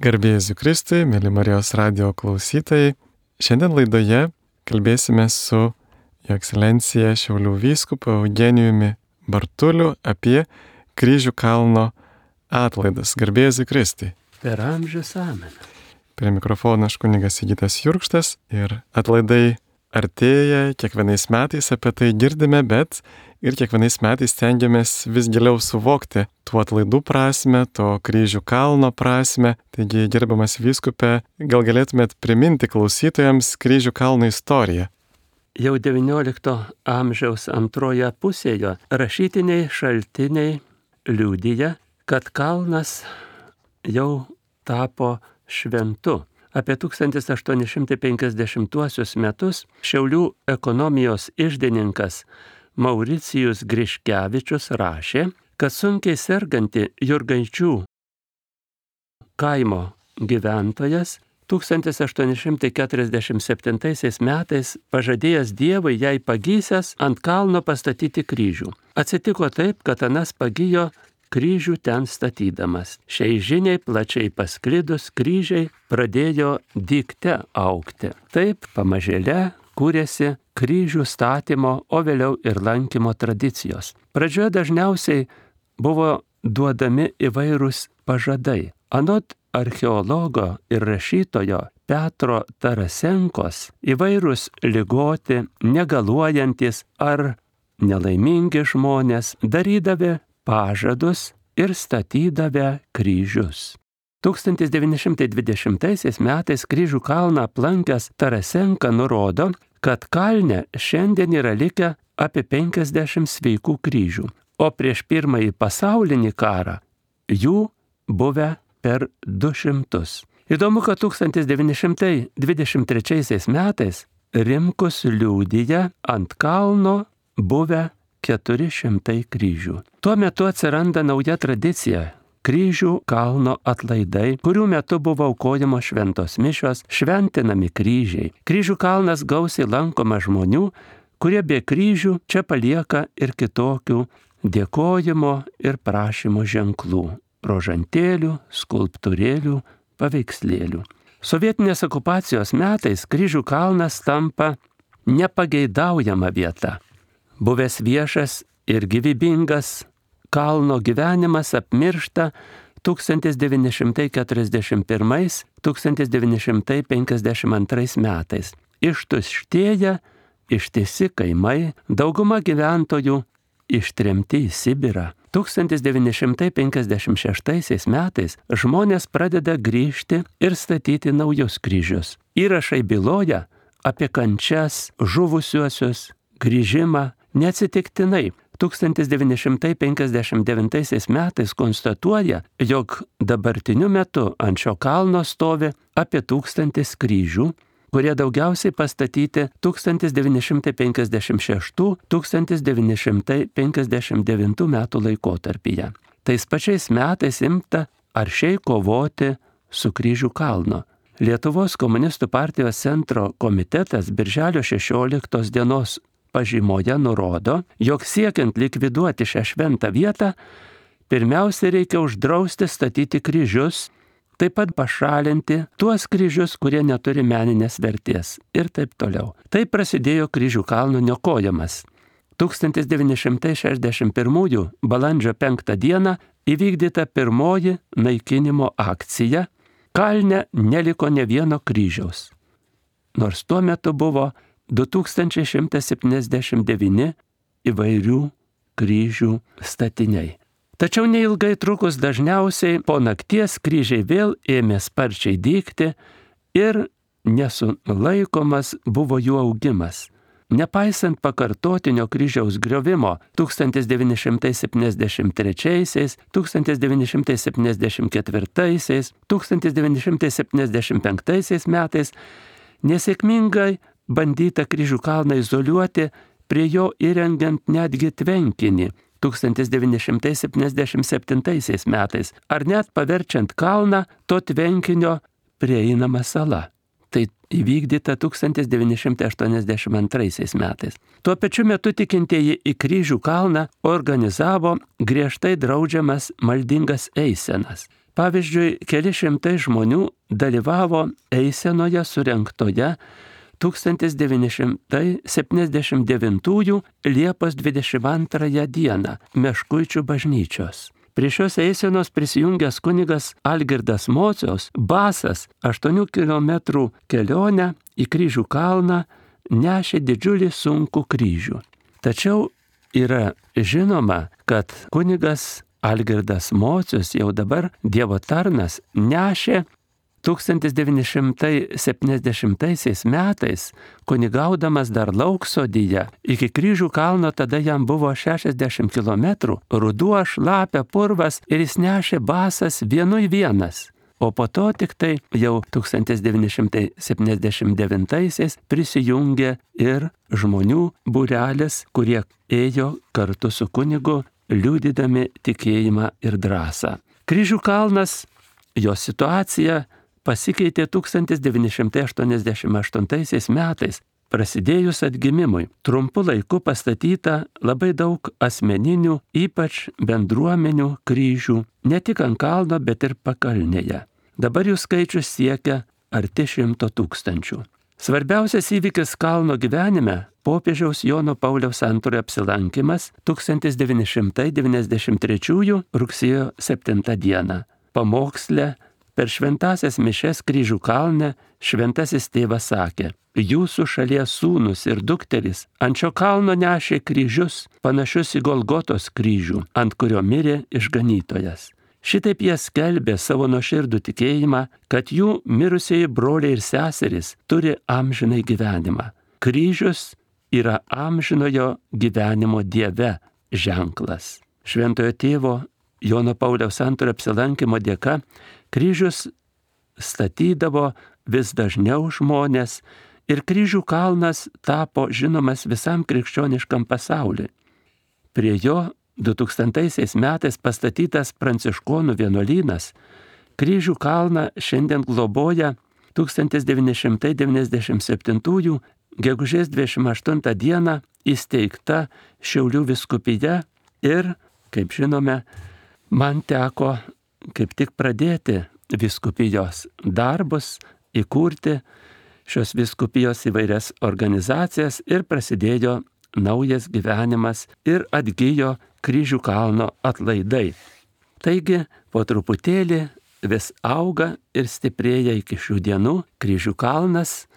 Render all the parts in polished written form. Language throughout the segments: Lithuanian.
Garbė Jėzui Kristui, mėly Marijos radijo klausytojai. Šiandien laidoje kalbėsime su Jo Ekscelencija Šiaulių vyskupu Eugenijumi Bartuliu apie Kryžių kalno atlaidas. Garbė Jėzui Kristui. Per amžius amen. Prie mikrofono aš kunigas Sigitas Jurkštas ir atlaidai artėja, kiekvienais metais apie tai girdime, bet ir kiekvienais metais stengiamės vis giliau suvokti tų atlaidų prasme, to Kryžių kalno prasme. Taigi, gerbiamas vyskupe, gal galėtumėt priminti klausytojams Kryžių kalno istoriją? Jau XIX amžiaus antroje pusėje rašytiniai šaltiniai liudija, kad kalnas jau tapo šventu. Apie 1850 metus Šiaulių ekonomijos iždininkas Mauricijus Griškevičius rašė, kad sunkiai serganti Jurgaičių kaimo gyventojas 1847 metais pažadėjęs Dievui jai pagysęs ant kalno pastatyti kryžių. Atsitiko taip, kad anas pagijo kryžių ten statydamas. Šiai žiniai plačiai pasklidus kryžiai pradėjo dygte augti. Taip pamažėle kūrėsi kryžių statymo, o vėliau ir lankymo tradicijos. Pradžioje dažniausiai buvo duodami įvairūs pažadai. Anot archeologo ir rašytojo Petro Tarasenkos įvairūs ligoti, negaluojantis ar nelaimingi žmonės darydavę pažadus ir statydavę kryžius. 1920 metais Kryžių kalną aplankęs Tarasenka nurodo, kad kalne šiandien yra likę apie 50 sveikų kryžių, o prieš Pirmąjį pasaulinį karą jų buvę per 200. Įdomu, kad 1923 metais Rimkus liudija ant kalno buvę 400 kryžių. Tuo metu atsiranda nauja tradicija – Kryžių kalno atlaidai, kurių metu buvo aukojamos šventos mišios, šventinami kryžiai. Kryžių kalnas gausiai lankoma žmonių, kurie be kryžių čia palieka ir kitokių dėkojimo ir prašymo ženklų – rožantėlių, skulptūrėlių, paveikslėlių. Sovietinės okupacijos metais Kryžių kalnas tampa nepageidaujama vieta. Buvęs viešas ir gyvybingas kalno gyvenimas apmiršta 1941–1952 metais. Ištuštėja ištisi kaimai, dauguma gyventojų ištremti į Sibirą. 1956 metais žmonės pradeda grįžti ir statyti naujus kryžius. Įrašai byloja apie kančias, žuvusiuosius, grįžimą. Neatsitiktinai 1959 metais konstatuoja, jog dabartiniu metu ant šio kalno stovi apie 1000 kryžių, kurie daugiausiai pastatyti 1956–1959 metų laikotarpyje. Tais pačiais metais imta aršiai kovoti su Kryžių kalno. Lietuvos komunistų partijos centro komitetas birželio 16 dienos pažymoje nurodo, jog siekiant likviduoti šią šventą vietą, pirmiausia reikia uždrausti statyti kryžius, taip pat pašalinti tuos kryžius, kurie neturi meninės vertės ir taip toliau. Taip prasidėjo Kryžių kalno niokojimas. 1961 balandžio 5 dieną įvykdyta pirmoji naikinimo akcija. Kalne neliko ne vieno kryžiaus, nors tuo metu buvo 2179 įvairių kryžių statiniai. Tačiau neilgai trukus dažniausiai po nakties kryžiai vėl ėmė sparčiai dygti ir nesulaikomas buvo jų augimas. Nepaisant pakartotinio kryžiaus griovimo 1973, 1974, 1975 metais nesėkmingai bandyta Kryžių kalną izoliuoti, prie jo įrengiant netgi tvenkinį 1977 metais, ar net paverčiant kalną to tvenkinio prieinama sala. Tai įvykdyta 1982 metais. Tuo pačiu metu tikintieji į Kryžių kalną organizavo griežtai draudžiamas maldingas eisenas. Pavyzdžiui, keli šimtai žmonių dalyvavo eisenoje surengtoje 1979 Liepos 22 dieną Meškuičių bažnyčios. Prie šios eisenos prisijungęs kunigas Algirdas Mociaus basas 8 km kelionę į Kryžių kalną nešė didžiulį sunkų kryžių. Tačiau yra žinoma, kad kunigas Algirdas Mocius jau dabar Dievo tarnas nešė 1970 metais, kunigaudamas dar Lauksodyje, iki Kryžių kalno tada jam buvo 60 km, ruduo, šlapia, purvas ir jis nešė basas vienas. O po to tik tai jau 1979 prisijungė ir žmonių būrelis, kurie ėjo kartu su kunigu, liudydami tikėjimą ir drąsą. Kryžių kalnas, jo situacija pasikeitė 1988 metais, prasidėjus atgimimui. Trumpu laiku pastatyta labai daug asmeninių, ypač bendruomenių kryžių, ne tik ant kalno, bet ir pakalnėje. Dabar jų skaičius siekia arti 100 000. Svarbiausias įvykis kalno gyvenime – popiežiaus Jono Pauliaus II apsilankimas 1993 rugsėjo 7 dieną. Pamoksle per šventasias mišes Kryžių kalne šventasis tėvas sakė: jūsų šalies sūnus ir dukteris ant šio kalno nešė kryžius, panašius į Golgotos kryžių, ant kurio mirė išganytojas. Šitaip jie skelbė savo nuoširdų tikėjimą, kad jų mirusieji broliai ir seserys turi amžinai gyvenimą. Kryžius yra amžinojo gyvenimo Dieve ženklas. Šventojo tėvo Jono Pauliaus II apsilankimo dėka kryžius statydavo vis dažniau žmonės ir Kryžių kalnas tapo žinomas visam krikščioniškam pasauliui. Prie jo 2000 metais pastatytas pranciškonų vienuolynas Kryžių kalną šiandien globoja 1997 gegužės 28 dieną įsteigta Šiaulių vyskupija ir, kaip žinome, man teko kaip tik pradėti vyskupijos darbus, įkurti šios vyskupijos įvairias organizacijas ir prasidėjo naujas gyvenimas ir atgijo Kryžių kalno atlaidai. Taigi, po truputėlį vis auga ir stiprėja iki šių dienų Kryžių kalnas,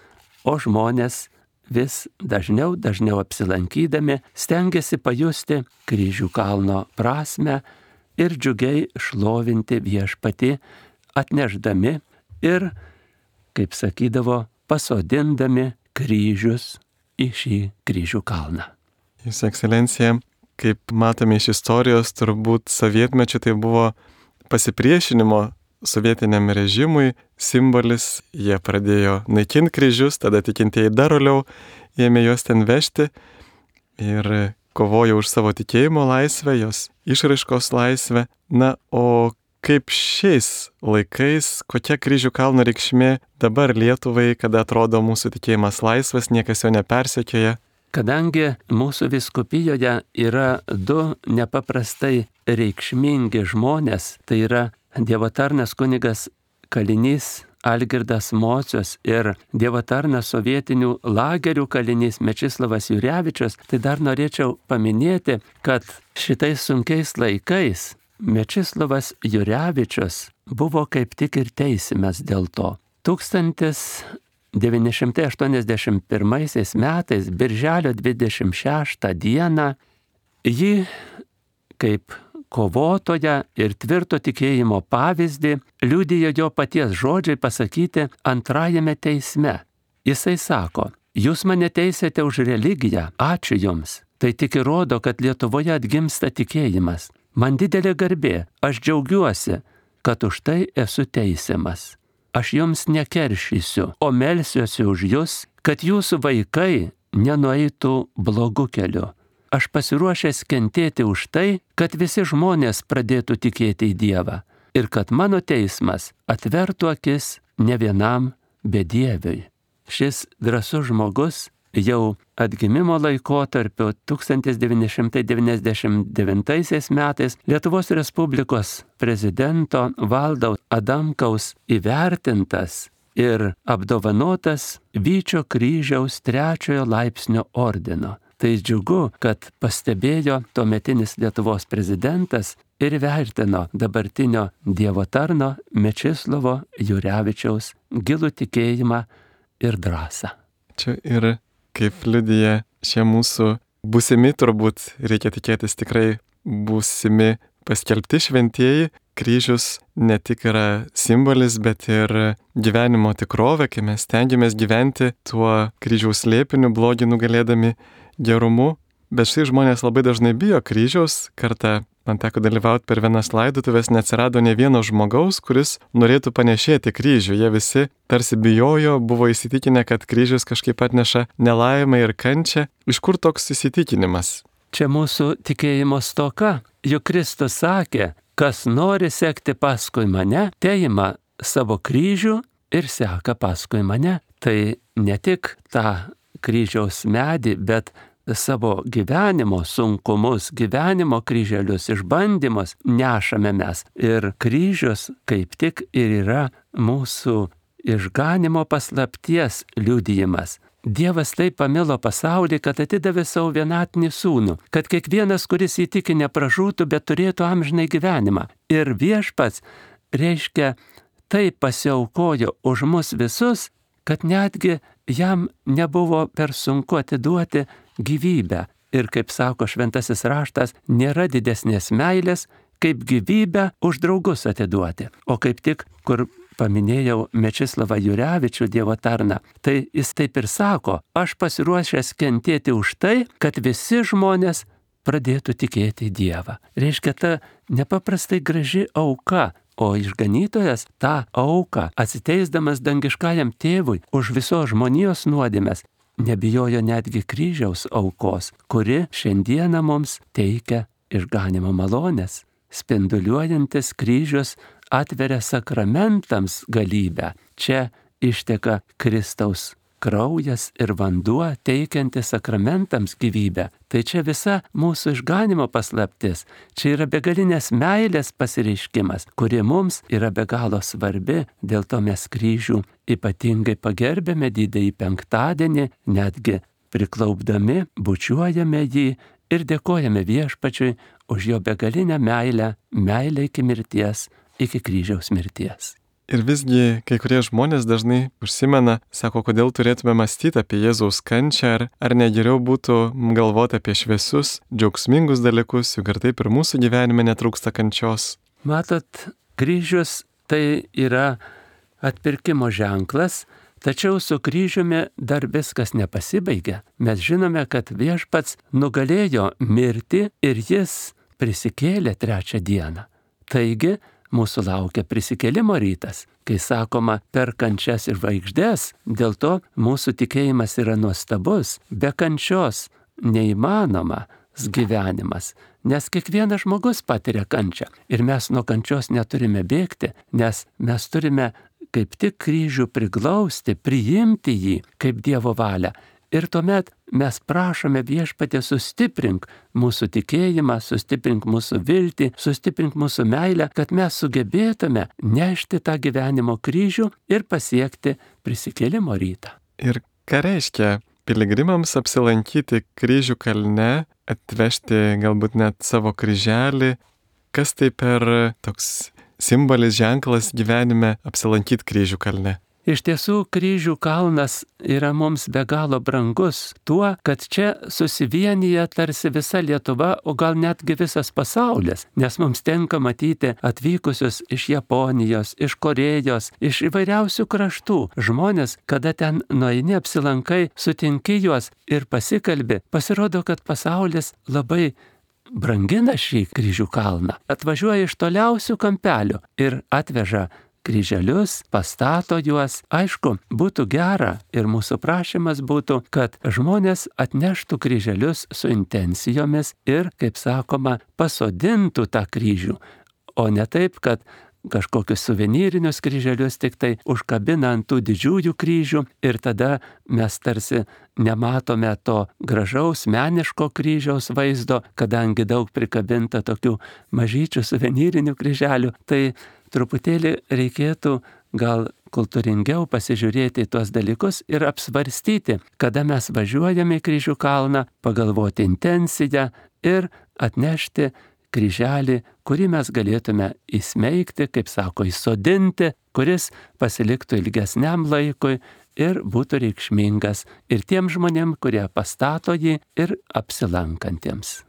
o žmonės vis dažniau apsilankydami stengiasi pajusti Kryžių kalno prasmę ir džiugiai šlovinti viešpatį, atnešdami ir, kaip sakydavo, pasodindami kryžius į šį Kryžių kalną. Jūsų ekscelencija, kaip matome iš istorijos, turbūt sovietmečiu tai buvo pasipriešinimo sovietiniam režimui simbolis. Jie pradėjo naikinti kryžius, tada tikintieji dar toliau ėmė juos ten vežti ir kovojo už savo tikėjimo laisvę, jos išraiškos laisvę. Na, o kaip šiais laikais, kokia Kryžių kalno reikšmė dabar Lietuvai, kada atrodo mūsų tikėjimas laisvas, niekas jo nepersekioja? Kadangi mūsų vyskupijoje yra du nepaprastai reikšmingi žmonės, tai yra Dievo tarnas kunigas kalinys Algirdas Mocius ir Dievo tarnas sovietinių lagerių kalinys Mečislovas Jurevičius, tai dar norėčiau paminėti, kad šitais sunkiais laikais Mečislovas Jurevičius buvo kaip tik ir teisiamas dėl to. 1981 metais, birželio 26 dieną, jį kaip kovotoją ir tvirto tikėjimo pavyzdį liudijo jo paties žodžiai pasakyti antrajame teisme. Jisai sako: jūs mane teisėte už religiją, ačiū jums. Tai tik įrodo, kad Lietuvoje atgimsta tikėjimas. Man didelė garbė, aš džiaugiuosi, kad už tai esu teisiamas. Aš jums nekeršysiu, o melsiuosi už jūs, kad jūsų vaikai nenueitų blogu keliu. Aš pasiruošęs kentėti už tai, kad visi žmonės pradėtų tikėti į Dievą ir kad mano teismas atvertų akis ne vienam bedieviui. Šis drąsus žmogus jau atgimimo laikotarpiu 1999 metais Lietuvos Respublikos prezidento Valdo Adamkaus įvertintas ir apdovanotas Vyčio kryžiaus 3 laipsnio ordino. Tai džiugu, kad pastebėjo tuometinis Lietuvos prezidentas ir vertino dabartinio Dievo tarno Mečislovo Jurevičiaus gilų tikėjimą ir drąsą. Čia ir kaip liudija šie mūsų būsimi, turbūt reikia tikėtis tikrai būsimi paskelbti šventieji, kryžius ne tik yra simbolis, bet ir gyvenimo tikrovė, kai mes stengiamės gyventi tuo kryžiaus slėpiniu, blogį nugalėdami gerumu. Bet štai žmonės labai dažnai bijo kryžiaus. Kartą man teko dalyvauti per vienas laidotuvės, neatsirado ne vieno žmogaus, kuris norėtų panešėti kryžių. Jie visi tarsi bijojo, buvo įsitikinę, kad kryžius kažkaip atneša nelaimę ir kančią. Iš kur toks įsitikinimas? Čia mūsų tikėjimo stoka. Juk Kristus sakė, kas nori sekti paskui mane, teima savo kryžių ir seka paskui mane. Tai ne tik tą kryžiaus medį, bet savo gyvenimo sunkumus, gyvenimo kryželius, išbandymus nešame mes. Ir kryžius kaip tik ir yra mūsų išganimo paslapties liudijimas. Dievas taip pamilo pasaulį, kad atidavė savo vienatinį sūnų, kad kiekvienas, kuris įtiki, nepražūtų, bet turėtų amžinai gyvenimą. Ir viešpats, reiškia, taip pasiaukojo už mus visus, kad netgi jam nebuvo per sunku atiduoti gyvybę. Ir kaip sako šventasis raštas, nėra didesnės meilės, kaip gyvybę už draugus atiduoti. O kaip tik, kur paminėjau Mečislovą Jurevičių, Dievo tarną, tai jis taip ir sako, aš pasiruošęs kentėti už tai, kad visi žmonės pradėtų tikėti Dievą. Reiškia, ta nepaprastai graži auka, o išganytojas tą auką, atsiteisdamas dangiškajam tėvui už visos žmonijos nuodėmes, nebijojo netgi kryžiaus aukos, kuri šiandieną mums teikia išganimo malonės. Spinduliuojantis kryžius atveria sakramentams galybę. Čia išteka Kristaus kraujas ir vanduo teikiantis sakramentams gyvybę. Tai čia visa mūsų išganimo paslaptis. Čia yra begalinės meilės pasireiškimas, kuri mums yra be galo svarbi. Dėl to mes kryžių ypatingai pagerbėme didįjį penktadienį, netgi priklaupdami, bučiuojame jį ir dėkojame viešpačiui už jo begalinę meilę iki mirties, iki kryžiaus mirties. Ir visgi kai kurie žmonės dažnai užsimena, sako, kodėl turėtume mąstyti apie Jėzaus kančią, ar ne geriau būtų galvoti apie šviesius, džiaugsmingus dalykus, juk ir taip ir mūsų gyvenime netrūksta kančios. Matot, kryžius tai yra atpirkimo ženklas, tačiau su kryžiumi dar viskas nepasibaigia. Mes žinome, kad viešpats nugalėjo mirtį ir jis prisikėlė 3 dieną. Taigi, mūsų laukia prisikėlimo rytas, kai sakoma per kančias ir žvaigždes, dėl to mūsų tikėjimas yra nuostabus, be kančios neįmanomas gyvenimas, nes kiekvienas žmogus patiria kančią ir mes nuo kančios neturime bėgti, nes mes turime kaip tik kryžių priglausti, priimti jį kaip Dievo valią. Ir tuomet mes prašome viešpatie sustiprink mūsų tikėjimą, sustiprink mūsų viltį, sustiprink mūsų meilę, kad mes sugebėtume nešti tą gyvenimo kryžių ir pasiekti prisikėlimo rytą. Ir ką reiškia piligrimams apsilankyti kryžių kalne, atvežti galbūt net savo kryželį? Kas tai per toks simbolis, ženklas gyvenime apsilankyti kryžių kalne? Iš tiesų, kryžių kalnas yra mums be galo brangus tuo, kad čia susivienyje tarsi visa Lietuva, o gal netgi visas pasaulis, nes mums tenka matyti atvykusius iš Japonijos, iš Korėjos, iš įvairiausių kraštų žmonės, kada ten nueini apsilankai, sutinki juos ir pasikalbi, pasirodo, kad pasaulis labai brangina šį kryžių kalną, atvažiuoja iš toliausių kampelių ir atveža kryželius, pastato juos. Aišku, būtų gera ir mūsų prašymas būtų, kad žmonės atneštų kryželius su intencijomis ir, kaip sakoma, pasodintų tą kryžių, o ne taip, kad kažkokius suvenyrinius kryželius, tik tai užkabina ant tų didžiųjų kryžių ir tada mes tarsi nematome to gražaus meniško kryžiaus vaizdo, kadangi daug prikabinta tokių mažyčių suvenyrinių kryželių. Tai truputėlį reikėtų gal kultūringiau pasižiūrėti į tuos dalykus ir apsvarstyti, kada mes važiuojame į Kryžių kalną, pagalvoti intenciją ir atnešti kryželį, kurį mes galėtume įsmeigti, kaip sako, įsodinti, kuris pasiliktų ilgesniam laikui ir būtų reikšmingas ir tiem žmonėm, kurie pastato jį, ir apsilankantiems.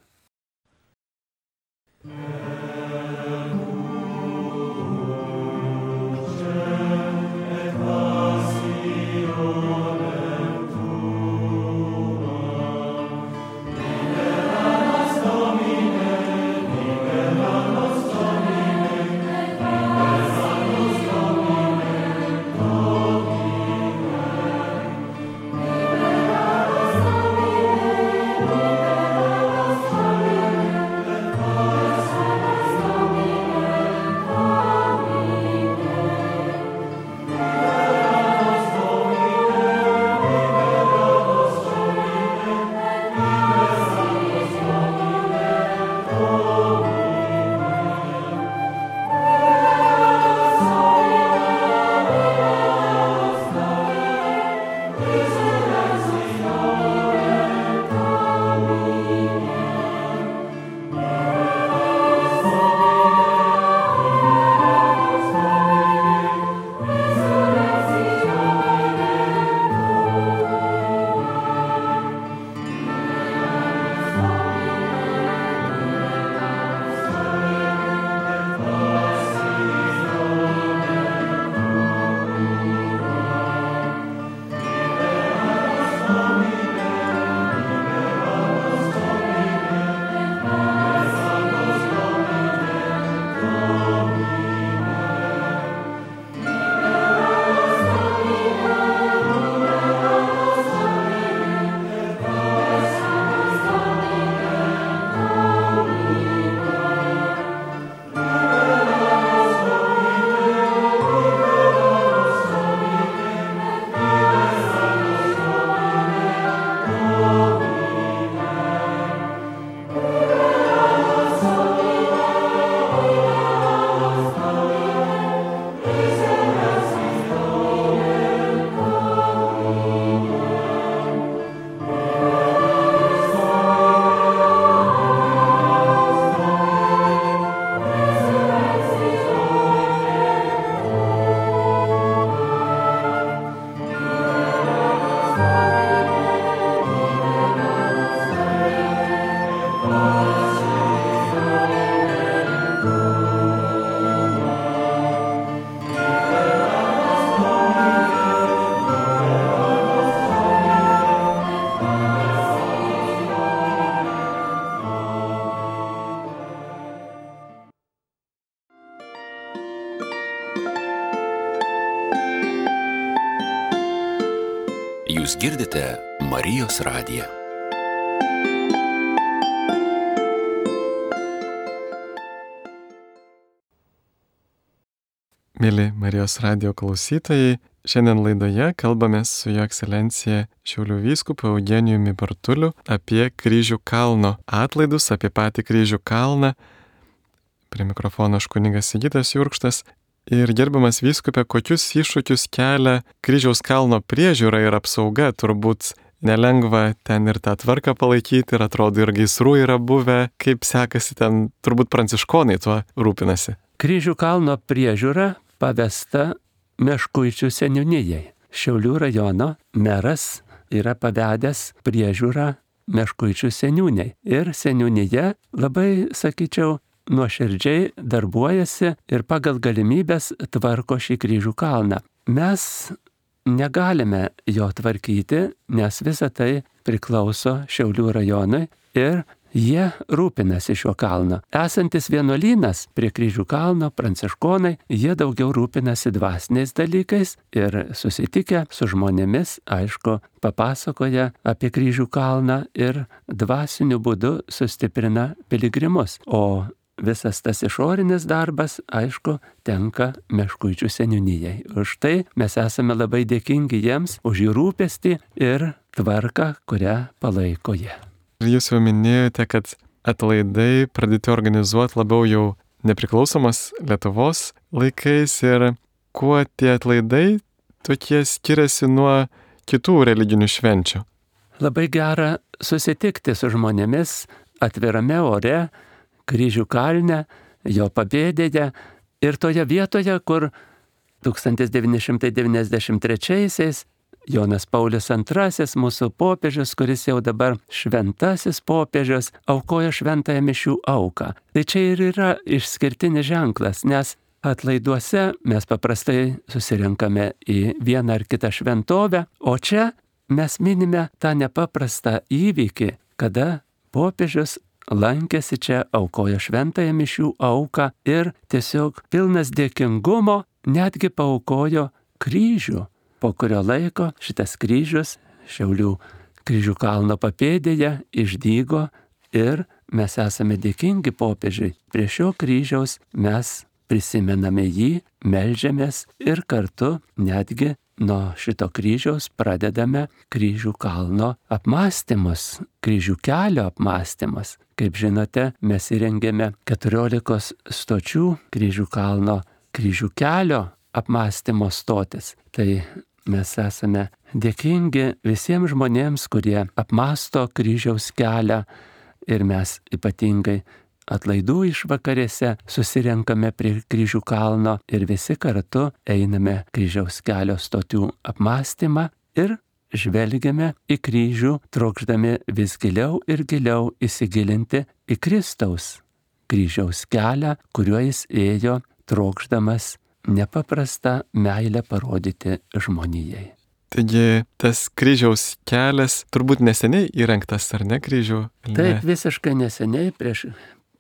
Jūs girdite Marijos radiją. Mėly Marijos radijo klausytojai, šiandien laidoje kalbamės su Jo Ekscelencija Šiaulių vyskupu Eugenijumi Bartuliu apie Kryžių kalno atlaidus, apie patį Kryžių kalną. Prie mikrofono aš kunigas Sigitas Jurkštas. Ir gerbiamas vyskupe, kokius iššūkius kelia Kryžiaus kalno priežiūra ir apsauga? Turbūt nelengva ten ir tą tvarką palaikyti, ir atrodo ir gaisrų yra buvę. Kaip sekasi ten, turbūt pranciškonai tuo rūpinasi? Kryžių kalno priežiūra pavesta Meškuičių seniūnijai. Šiaulių rajono meras yra pavedęs priežiūrą Meškuičių seniūniai. Ir seniūnija labai, sakyčiau, nuoširdžiai darbuojasi ir pagal galimybės tvarko šį Kryžių kalną. Mes negalime jo tvarkyti, nes visa tai priklauso Šiaulių rajonui ir jie rūpinasi šiuo kalnu. Esantis vienuolynas prie Kryžių kalno, pranciškonai, jie daugiau rūpinasi dvasiniais dalykais ir susitikę su žmonėmis, aišku, papasakoja apie Kryžių kalną ir dvasiniu būdu sustiprina piligrimus. O visas tas išorinis darbas, aišku, tenka Meškuičių seniūnijai. Už tai mes esame labai dėkingi jiems už jų rūpestį ir tvarką, kurią palaiko jie. Ir jūs jau minėjote, kad atlaidai pradėti organizuoti labiau jau nepriklausomos Lietuvos laikais ir kuo tie atlaidai tokie skiriasi nuo kitų religinių švenčių. Labai gera susitikti su žmonėmis atvirame ore, Kryžių kalne, jo papėdėje ir toje vietoje, kur 1993-aisiais Jonas Paulius II, mūsų popiežius, kuris jau dabar šventasis popiežius, aukojo šventąją mišių auką. Tai čia ir yra išskirtinis ženklas, nes atlaiduose mes paprastai susirenkame į vieną ar kitą šventovę, o čia mes minime tą nepaprastą įvykį, kada popiežius lankėsi čia, aukojo šventąją mišių auką ir tiesiog pilnas dėkingumo netgi paaukojo kryžių. Po kurio laiko šitas kryžius Šiaulių Kryžių kalno papėdėje išdygo ir mes esame dėkingi popiežiui. Prie šio kryžiaus mes prisimename jį, meldžiamės ir kartu netgi nuo šito kryžiaus pradedame Kryžių kalno apmąstymus, Kryžių kelio apmąstymus. Kaip žinote, mes įrengėme 14 stočių Kryžių kalno Kryžių kelio apmąstymo stotis. Tai mes esame dėkingi visiems žmonėms, kurie apmąsto kryžiaus kelią ir mes ypatingai atlaidų išvakarėse susirenkame prie Kryžių kalno ir visi kartu einame kryžiaus kelio stočių apmąstymą ir žvelgiame į kryžių, trokšdami vis giliau ir giliau įsigilinti į Kristaus kryžiaus kelią, kuriuo jis ėjo trokšdamas nepaprastą meilę parodyti žmonijai. Taigi tas kryžiaus kelias turbūt neseniai įrengtas, ar ne, kryžių? Taip, visiškai neseniai, prieš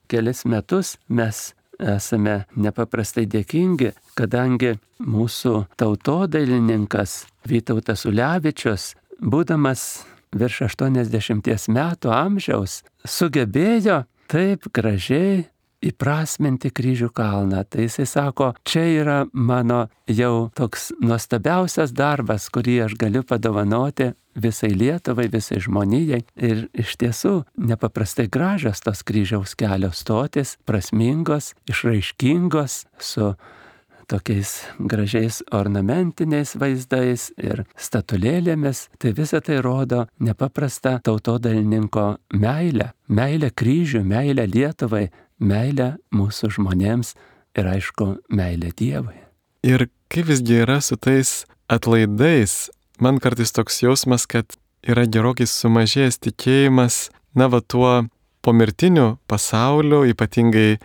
kelis metus mes esame nepaprastai dėkingi, kadangi mūsų tautodailininkas Vytautas Ulevičius, būdamas virš 80 metų amžiaus, sugebėjo taip gražiai įprasminti Kryžių kalną. Tai jisai sako, čia yra mano jau toks nuostabiausias darbas, kurį aš galiu padovanoti visai Lietuvai, visai žmonijai. Ir iš tiesų nepaprastai gražios tos kryžiaus kelio stotis, prasmingos, išraiškingos, su tokiais gražiais ornamentiniais vaizdais ir statulėlėmis. Tai visa tai rodo nepaprastą tautodailininko meilę. Meilę kryžių, meilę Lietuvai, meilę mūsų žmonėms ir aišku, meilę Dievui. Ir kaip visgi yra su tais atlaidais? Man kartais toks jausmas, kad yra gerokai sumažėjęs tikėjimas, tuo pomirtiniu pasauliu, ypatingai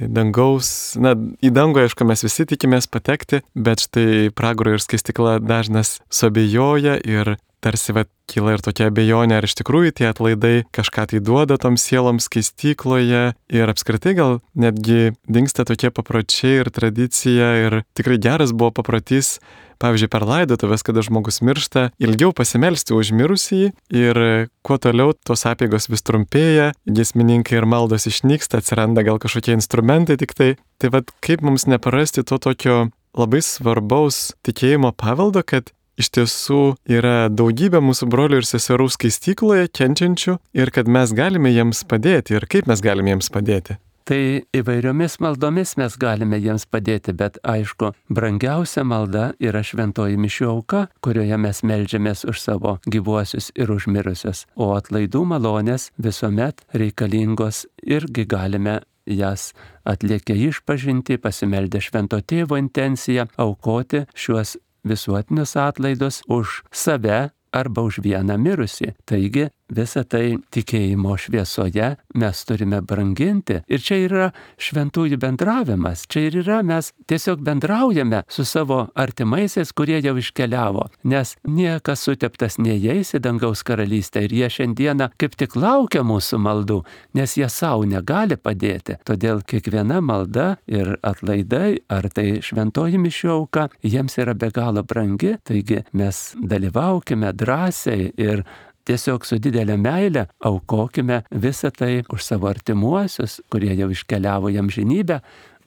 dangaus, į dangų, aišku, mes visi tikimės patekti, bet štai pragaro ir skaistykla dažnas suabejoja ir tarsi kyla ir tokia abejonė, ar iš tikrųjų tie atlaidai kažką tai duoda toms sieloms skaistykloje ir apskritai gal netgi dingsta tokie papročiai ir tradicija ir tikrai geras buvo paprotys, pavyzdžiui, per laidotuvės, kada žmogus miršta, ilgiau pasimelsti už mirusį ir kuo toliau tos apeigos vis trumpėja, giesmininkai ir maldos išnyksta, atsiranda gal kažkokie instrumentai tik tai. Tai kaip mums neprarasti to tokio labai svarbaus tikėjimo paveldo, kad iš tiesų yra daugybė mūsų brolių ir seserų skaistykloje kenčiančių ir kad mes galime jiems padėti ir kaip mes galime jiems padėti. Tai įvairiomis maldomis mes galime jiems padėti, bet aišku, brangiausia malda yra šventoji mišių auka, kurioje mes meldžiamės už savo gyvuosius ir už mirusius, o atlaidų malonės visuomet reikalingos irgi galime jas atliekę išpažinti, pasimeldę švento tėvo intenciją, aukoti šiuos visuotinius atlaidus už save arba už vieną mirusį. Taigi visą tai tikėjimo šviesoje mes turime branginti. Ir čia yra šventųjų bendravimas. Čia ir yra, mes tiesiog bendraujame su savo artimaisiais, kurie jau iškeliavo. Nes niekas suteptas neįeis į dangaus karalystę ir jie šiandieną kaip tik laukia mūsų maldų, nes jie savo negali padėti. Todėl kiekviena malda ir atlaidai, ar tai šventoji mišių auka, jiems yra be galo brangi. Taigi mes dalyvaukime drąsiai ir tiesiog su didelė meile aukokime visą tai už savo artimuosius, kurie jau iškeliavo į amžinybę,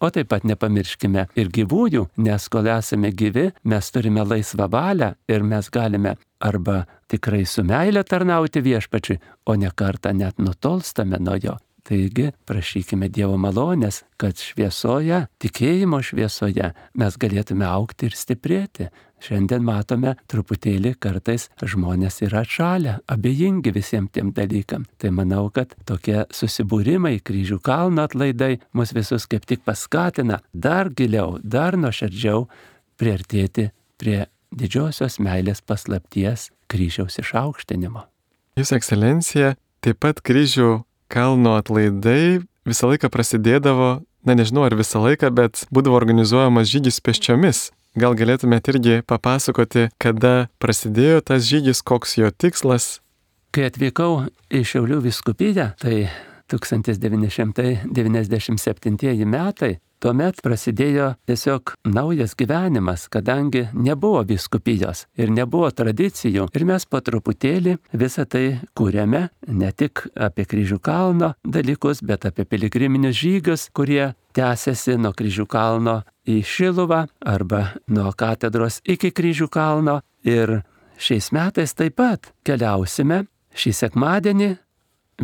o taip pat nepamirškime ir gyvųjų, nes kol esame gyvi, mes turime laisvą valią ir mes galime arba tikrai su meile tarnauti viešpačiui, o ne kartą net nutolstame nuo jo. Taigi prašykime Dievo malonės, kad šviesoje, tikėjimo šviesoje mes galėtume augti ir stiprėti. Šiandien matome truputėlį kartais žmonės yra atšalę, abejingi visiems tiem dalykam. Tai manau, kad tokie susibūrimai, Kryžių kalno atlaidai mus visus kaip tik paskatina dar giliau, dar nuoširdžiau priartėti prie didžiosios meilės paslapties kryžiaus išaukštinimo. Jūsų ekscelencija, taip pat Kryžių kalno atlaidai visą laiką prasidėdavo, nežinau ar visą laiką, bet būdavo organizuojamas žygis pėsčiomis. Gal galėtumėte irgi papasakoti, kada prasidėjo tas žygis, koks jo tikslas? Kai atvykau į Šiaulių vyskupiją, tai 1997 metai, tuomet prasidėjo tiesiog naujas gyvenimas, kadangi nebuvo vyskupijos ir nebuvo tradicijų. Ir mes po truputėlį visą tai kūrėme, ne tik apie Kryžių kalno dalykus, bet apie piligriminius žygius, kurie tęsiasi nuo Kryžių kalno į Šiluvą arba nuo katedros iki Kryžių kalno. Ir šiais metais taip pat keliausime šį sekmadienį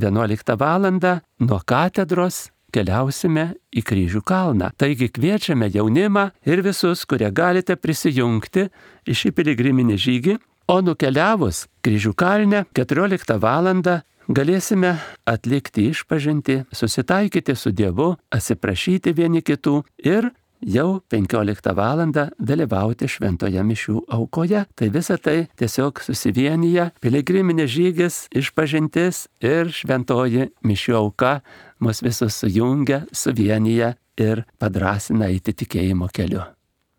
11 valandą nuo katedros keliausime į Kryžių kalną. Taigi kviečiame jaunimą ir visus, kurie galite prisijungti į šį piligriminį žygį, o nukeliavus Kryžių kalne 14 valandą galėsime atlikti išpažintį, susitaikyti su Dievu, atsiprašyti vieni kitų ir jau 15 valandą dalyvauti šventoje mišių aukoje. Tai visa tai tiesiog susivienyje, piligriminis žygis, išpažintis ir šventoji mišių auka mus visus sujungia, suvienyje ir padrąsina eiti tikėjimo keliu.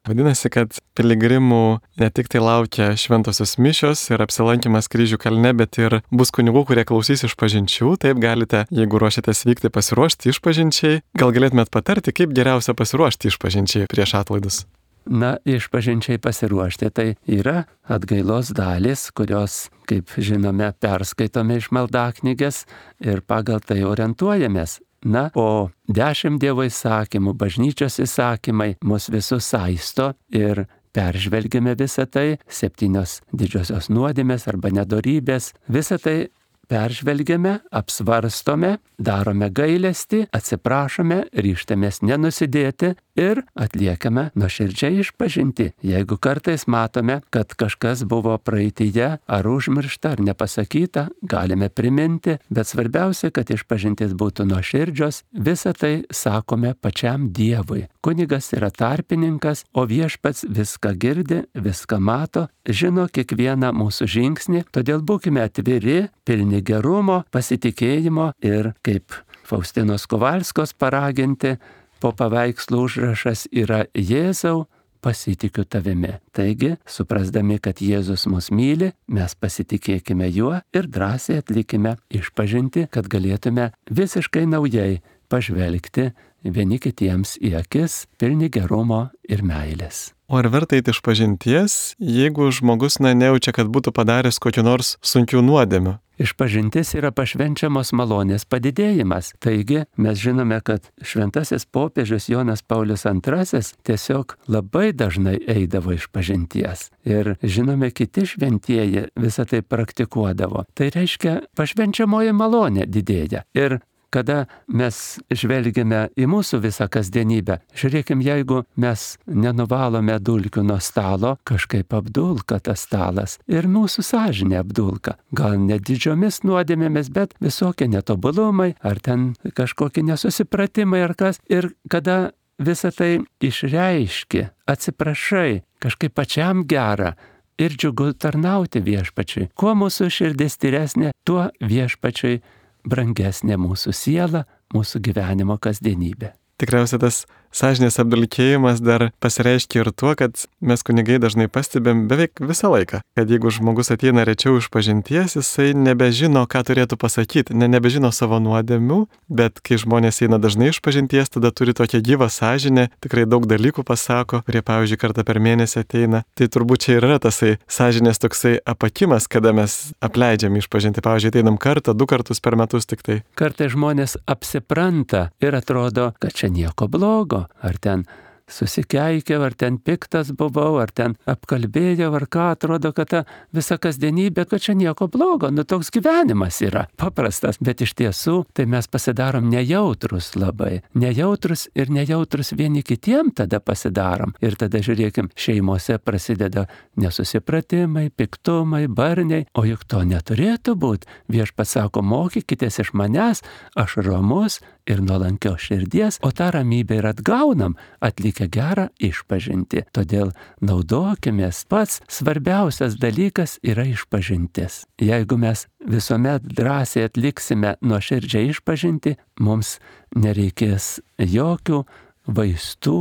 Vadinasi, kad piligrimų ne tik tai laukia šventosios mišios ir apsilankimas Kryžių kalne, bet ir bus kunigų, kurie klausys išpažinčių. Taip galite, jeigu ruošiatės vykti, pasiruošti išpažinčiai. Gal galėtumėt patarti, kaip geriausia pasiruošti išpažinčiai prieš atlaidus? Na, išpažinčiai pasiruošti tai yra atgailos dalys, kurios, kaip žinome, perskaitome iš maldaknygės ir pagal tai orientuojamės. Na, o 10 Dievo įsakymų, bažnyčios įsakymai mus visus saisto ir peržvelgiame visą tai, 7 didžiosios nuodėmės arba nedorybės, visą tai peržvelgiame, apsvarstome, darome gailestį, atsiprašome, ryžtamės nenusidėti ir atliekame nuoširdžiai išpažinti. Jeigu kartais matome, kad kažkas buvo praeityje ar užmiršta ar nepasakyta, galime priminti, bet svarbiausia, kad išpažintis būtų nuoširdžios, visą tai sakome pačiam Dievui. Kunigas yra tarpininkas, o viešpats viską girdi, viską mato, žino kiekvieną mūsų žingsnį, todėl būkime atviri, pilni gerumo, pasitikėjimo ir kaip Faustinos Kovalskos paraginti, po paveikslo užrašas yra Jėzau, pasitikiu tavimi. Taigi, suprasdami, kad Jėzus mus myli, mes pasitikėkime juo ir drąsiai atlikime išpažinti, kad galėtume visiškai naujai pažvelgti vieni kitiems į akis, pilni gerumo ir meilės. O ar verta eiti išpažinties, jeigu žmogus nejaučia, kad būtų padaręs kokių nors sunkių nuodėmių? Išpažintis yra pašvenčiamos malonės padidėjimas. Taigi mes žinome, kad šventasis popiežius Jonas Paulius II tiesiog labai dažnai eidavo išpažinties. Ir žinome, kiti šventieji visą tai praktikuodavo. Tai reiškia, pašvenčiamoji malonė didėja. Ir kada mes žvelgiame į mūsų visą kasdienybę, žiūrėkim, jeigu mes nenuvalome dulkių nuo stalo, kažkaip apdulka tas stalas ir mūsų sąžinė apdulka. Gal ne didžiomis nuodėmėmis, bet visokie netobulumai, ar ten kažkokie nesusipratimai ar kas. Ir kada visą tai išreiški, atsiprašai, kažkaip pačiam gera ir džiugu tarnauti viešpačiui. Kuo mūsų širdis tyresnė, tuo viešpačiui brangesnė mūsų siela, mūsų gyvenimo kasdienybė. Tikriausiai tas sąžinės apdulkėjimas dar pasireiškia ir tuo, kad mes kunigai dažnai pastebėm beveik visą laiką, kad jeigu žmogus ateina rečiau iš pažinties, jisai nebežino, ką turėtų pasakyti, nebežino savo nuodėmių, bet kai žmonės eina dažnai iš pažinties, tada turi tokią gyvą sąžinę, tikrai daug dalykų pasako, kurie, pavyzdžiui, kartą per mėnesį ateina. Tai turbūt čia ir yra tasai sąžinės toksai apakimas, kada mes apleidžiam iš pažinti. Pavyzdžiui, ateinam kartą, 2 kartus per metus tik tai. Kartais žmonės apsipranta ir atrodo, kad čia nieko blogo, ar ten susikeikiau, ar ten piktas buvau, ar ten apkalbėjau, ar ką, atrodo, kad ta visa kasdienybė, kad čia nieko blogo, toks gyvenimas yra paprastas, bet iš tiesų tai mes pasidarom nejautrus labai, nejautrus vieni kitiem tada pasidarom ir tada žiūrėkim, šeimose prasideda nesusipratimai, piktumai, barniai, o juk to neturėtų būti. Viešpats sako, mokykitės iš manęs, aš ramus ir nuolankios širdies, o tą ramybę ir atgaunam, atlikę gerą išpažintį. Todėl naudokimės, pats svarbiausias dalykas yra išpažintis. Jeigu mes visuomet drąsiai atliksime nuoširdžią išpažintį, mums nereikės jokių vaistų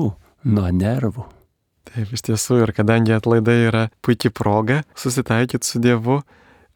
nuo nervų. Taip, iš tiesų, ir kadangi atlaidai yra puikia proga susitaikyti su Dievu,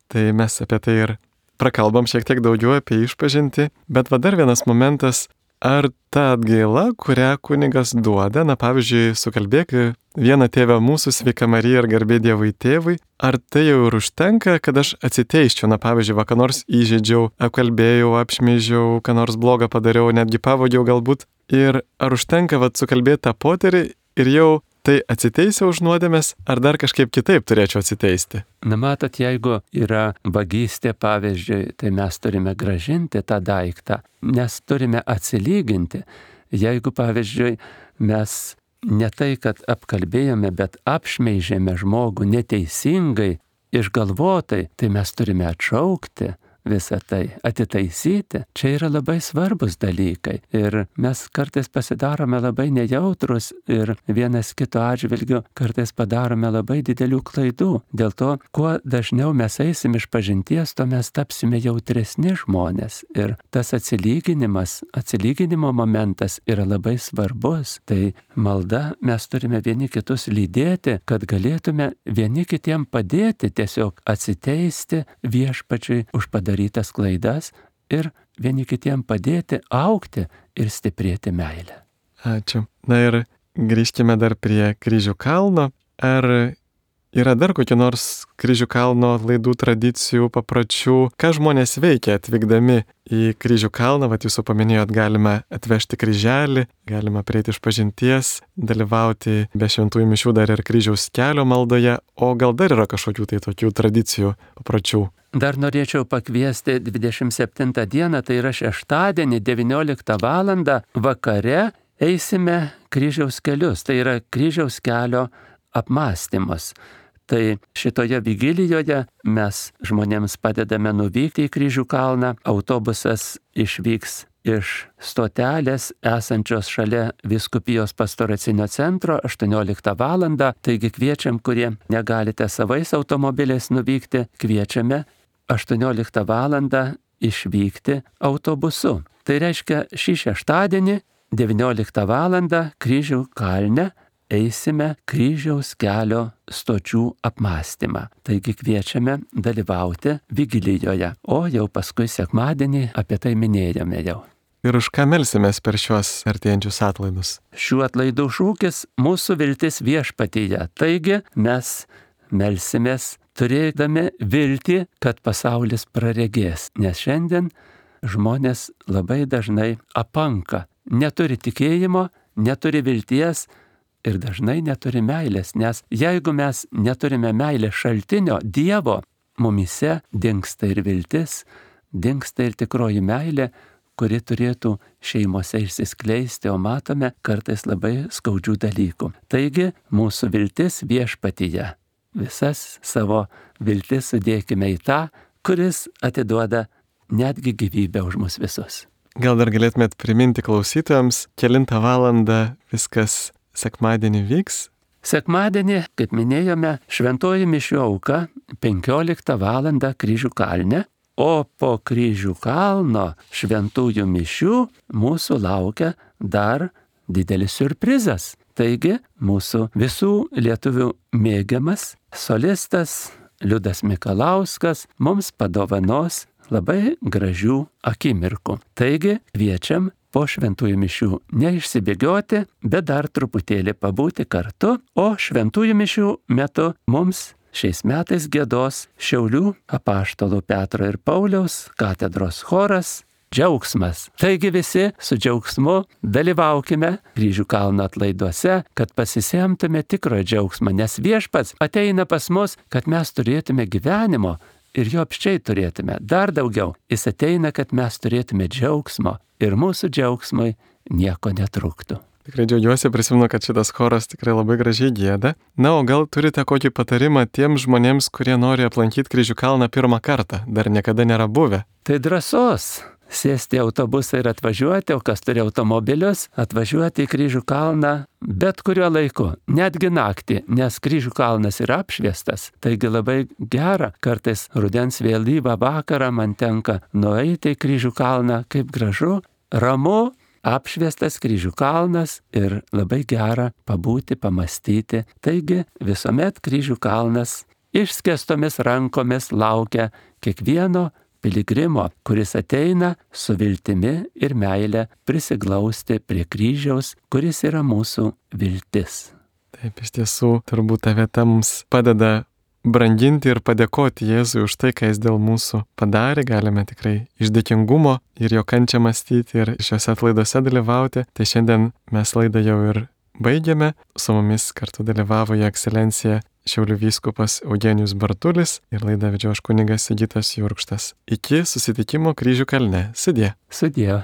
tai mes apie tai ir prakalbam šiek tiek daugiau apie išpažintį, bet va dar vienas momentas, ar ta atgaila, kurią kunigas duoda, pavyzdžiui, sukalbėk vieną tėvę mūsų, sveika Marija ir garbė Dievui tėvui, ar tai jau ir užtenka, kad aš atsiteiščiau, pavyzdžiui, ką nors įžeidžiau, apkalbėjau, apšmeižiau, ką nors blogą padariau, netgi pavogiau galbūt, ir ar užtenka sukalbėti tą poterį ir jau tai atsiteisiu už nuodėmes, ar dar kažkaip kitaip turėčiau atsiteisti? Matot, jeigu yra vagystė, pavyzdžiui, tai mes turime grąžinti tą daiktą, nes turime atsilyginti. Jeigu, pavyzdžiui, mes ne tai, kad apkalbėjome, bet apšmeižėme žmogų neteisingai, išgalvotai, tai mes turime atšaukti visą tai, atitaisyti. Čia yra labai svarbus dalykai. Ir mes kartais pasidarome labai nejautrus ir vienas kito atžvilgiu kartais padarome labai didelių klaidų. Dėl to, kuo dažniau mes eisim iš pažinties, to mes tapsime jautresni žmonės. Ir tas atsilyginimo momentas yra labai svarbus. Tai malda mes turime vieni kitus lydėti, kad galėtume vieni kitiem padėti tiesiog atsiteisti viešpačiui už padarytas klaidas ir vieni kitiem padėti augti ir stiprėti meilę. Ačiū. Na ir grįžkime dar prie Kryžių kalno. Ar yra dar kokių nors Kryžių kalno atlaidų tradicijų, papročių? Ką žmonės veikia atvykdami į Kryžių kalną? Vat jūs paminėjot, galima atvežti kryželį, galima prieiti iš pažinties, dalyvauti be šventųjų mišių dar ir kryžiaus kelio maldoje. O gal dar yra kažkokių tai tokių tradicijų, papročių? Dar norėčiau pakviesti 27 dieną, tai yra šeštadienį, 19 val. Vakare eisime kryžiaus kelius. Tai yra kryžiaus kelio apmąstymas. Tai šitoje vigilijoje mes žmonėms padedame nuvykti į Kryžių kalną. Autobusas išvyks iš stotelės esančios šalia Vyskupijos pastoracinio centro 18 val. Taigi kviečiam, kurie negalite savais automobiliais nuvykti, kviečiame 18 val. Išvykti autobusu. Tai reiškia, šį šeštadienį 19 val. Kryžių kalne eisime kryžiaus kelio stočių apmąstymą. Taigi kviečiame dalyvauti vigilijoje, o jau paskui sekmadienį apie tai minėjome jau. Ir už ką melsimės per šiuos artėjančius atlaidus? Šių atlaidų šūkis - mūsų viltis viešpatyje. Taigi mes melsimės turėdami viltį, kad pasaulis praregės. Nes šiandien žmonės labai dažnai apanka, neturi tikėjimo, neturi vilties ir dažnai neturi meilės. Nes jeigu mes neturime meilės šaltinio, Dievo, mumyse dingsta ir viltis, dingsta ir tikroji meilė, kuri turėtų šeimose išsiskleisti, o matome kartais labai skaudžių dalykų. Taigi mūsų viltis viešpatyje. Visas savo viltis sudėkime į tą, kuris atiduoda netgi gyvybę už mus visus. Gal dar galėtumėt priminti klausytojams, kelintą valandą viskas sekmadienį vyks? Sekmadienį, kaip minėjome, šventoji mišių auka 15 val. Kryžių kalne, o po Kryžių kalno šventųjų mišių mūsų laukia dar didelis siurprizas. Taigi mūsų visų lietuvių mėgiamas solistas Liudas Mikalauskas mums padovanos labai gražių akimirkų. Taigi kviečiam po šventųjų mišių neišsibėgioti, bet dar truputėlį pabūti kartu, o šventųjų mišių metu mums šiais metais giedos Šiaulių apaštalų Petro ir Pauliaus katedros choras Džiaugsmas. Taigi visi su džiaugsmu dalyvaukime Kryžių kalno atlaiduose, kad pasisemtume tikrojo džiaugsmo, nes Viešpats ateina pas mus, kad mes turėtume gyvenimo ir jo apščiai turėtume dar daugiau. Jis ateina, kad mes turėtume džiaugsmo ir mūsų džiaugsmui nieko netruktų. Tikrai džiaugiuosi, prisimenu, kad šitas choras tikrai labai gražiai gieda. Na, o gal turite kokį patarimą tiems žmonėms, kurie nori aplankyti Kryžių kalną pirmą kartą, dar niekada nėra buvę? Tai drąsos. Sėsti į autobusą ir atvažiuoti, o kas turi automobilius, atvažiuoti į Kryžių kalną bet kuriuo laiku, netgi naktį, nes Kryžių kalnas yra apšviestas. Taigi labai gera, kartais rudens vėlyvą vakarą man tenka nueiti į Kryžių kalną, kaip gražu, ramu, apšviestas Kryžių kalnas ir labai gera pabūti, pamastyti. Taigi visuomet Kryžių kalnas išskėstomis rankomis laukia kiekvieno piligrimo, kuris ateina su viltimi ir meile prisiglausti prie kryžiaus, kuris yra mūsų viltis. Taip, iš tiesų, turbūt ta vieta mums padeda branginti ir padėkoti Jėzui už tai, ką jis dėl mūsų padarė. Galime tikrai iš dėkingumo ir jo kančią mąstyti ir šiuose atlaiduose dalyvauti. Tai šiandien mes laidą jau ir baigėme. Su mumis kartu dalyvavo Jo ekscelencija Šiaulių vyskupas Eugenijus Bartulis ir laidą vedžiau aš kunigas Sigitas Jurkštas. Iki susitikimo Kryžių kalne. Sudie. Sudie.